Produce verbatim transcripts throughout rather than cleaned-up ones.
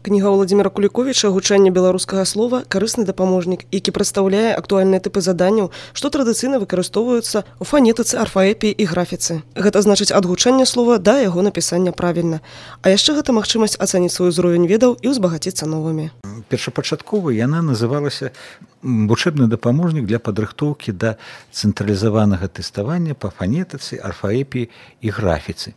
Кніга Владзіміра Куліковіча «Гучанне беларускага слова» – карысны дапаможнік, які прадстаўляе актуальныя тыпы заданняў, што традыцыйна выкарыстоўваюцца ў фанетыцы, арфаэпіі і графіцы. Гэта значыць ад гучання слова да яго напісання правільна. А яшчэ гэта магчымасць ацаніць свой узровень ведаў і ўзбагаціцца новымі. Першапачаткова яна называлася вучэбны дапаможнік для падрыхтоўкі да цэнтралізаванага тэставання па фанетыцы, арфаэпіі і графіцы.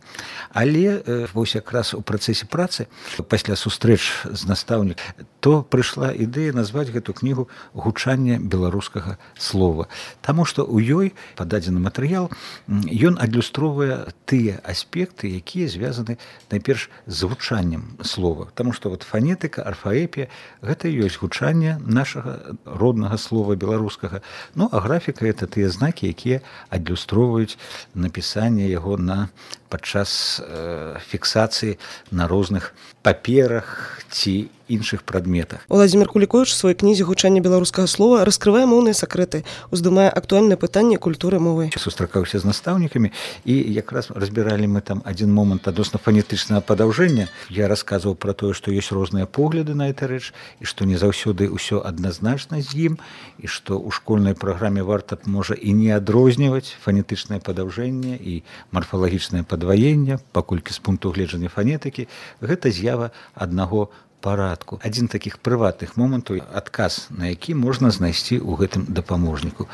Але вось якраз у працэсе працы пасля сустрэч з настаўнікам, то прыйшла ідэя назваць гэту кнігу «Гучанне беларускага слова». Таму што ў ёй пададзены матэрыял, ён адлюстроўвае тыя аспекты, якія звязаны найперш з гучаннем слова. Таму што вот фанетыка, арфаэпія – гэта і ёсць гучанне нашага роднага слова беларускага. Ну, а графіка – гэта тыя знакі, якія адлюстроўваюць напісанне яго на падчас э, фіксацыі на розных паперах ці іншых прадметах. Владзімір Куліковіч у сваёй кнізе «Гучанне беларускага слова» раскрывае моўныя сакрэты, уздымае актуальныя пытанні культуры мовы. Сустракаўся з настаўнікамі, і якраз разбіралі мы там адзін момант адносна фанетычнага падаўжэння. Я расказваў пра тое, што ёсць розныя погляды на гэта рэч, і што не заўсёды ўсё адназначна з ім, і што ў школьнай праграме варта можа і не адрозніваць фанетычнае падаўжэнне і марфалагічнае падваенне, паколькі з пункту гледжання фанетыкі гэта з'ява аднаго парадку. Адзін такіх прыватных момантаў, адказ на які можна знайсці ў гэтым дапаможніку.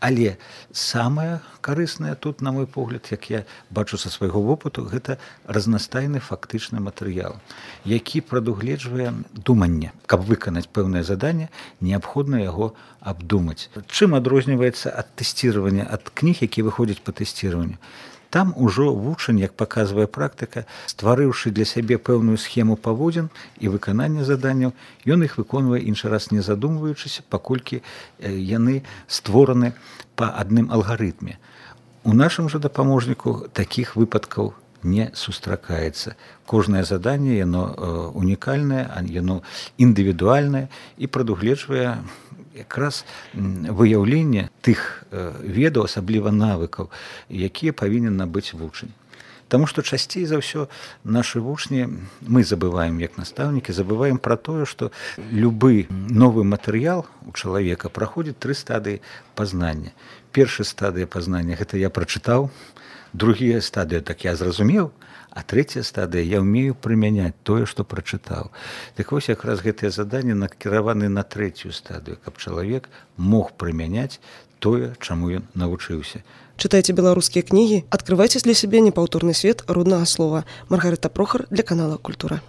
Але самае карыснае тут, на мой погляд, як я бачу са свайго вопыту, гэта разнастайны фактычны матэрыял, які прадугледжвае думанне. Каб выканаць пэўнае заданне, неабходна яго абдумаць. Чым адрозніваецца ад тэсціравання, ад кніг, якія выходзяць па тэсціраванню? Там ужо вучань, як паказвае практыка, стварыўшы для сябе пэўную схему паводзін і выканання заданняў, ён іх выконвае іншы раз не задумваючыся, паколькі яны створаны па адным алгарытме. У нашым жа дапаможніку такіх выпадкаў не сустракаецца. Кожнае заданне, яно унікальнае, яно індывідуальнае і прадугледжвае якраз выяўленне тых ведаў, асабліва навыкаў, якія павінен набыць вучань. Таму што часцей за ўсё нашы вучні, мы забываем як настаўнікі, забываем пра тое, што любы новы матэрыял у чалавека праходзіць тры стадыі пазнання. Першая стадыя пазнання – гэта я прачытаў, другая стадыя – так я зразумеў, а трэцяя стадыя – я ўмею прымяняць тое, што прачытаў. Так вось якраз гэтыя заданні накіраваны на трэцюю стадыю, каб чалавек мог прымяняць тое, чаму ён навучыўся. Чытайце беларускія кнігі, адкрывайце для сябе непаўторны свет роднага слова. Маргарыта Прохар для канала «Культура».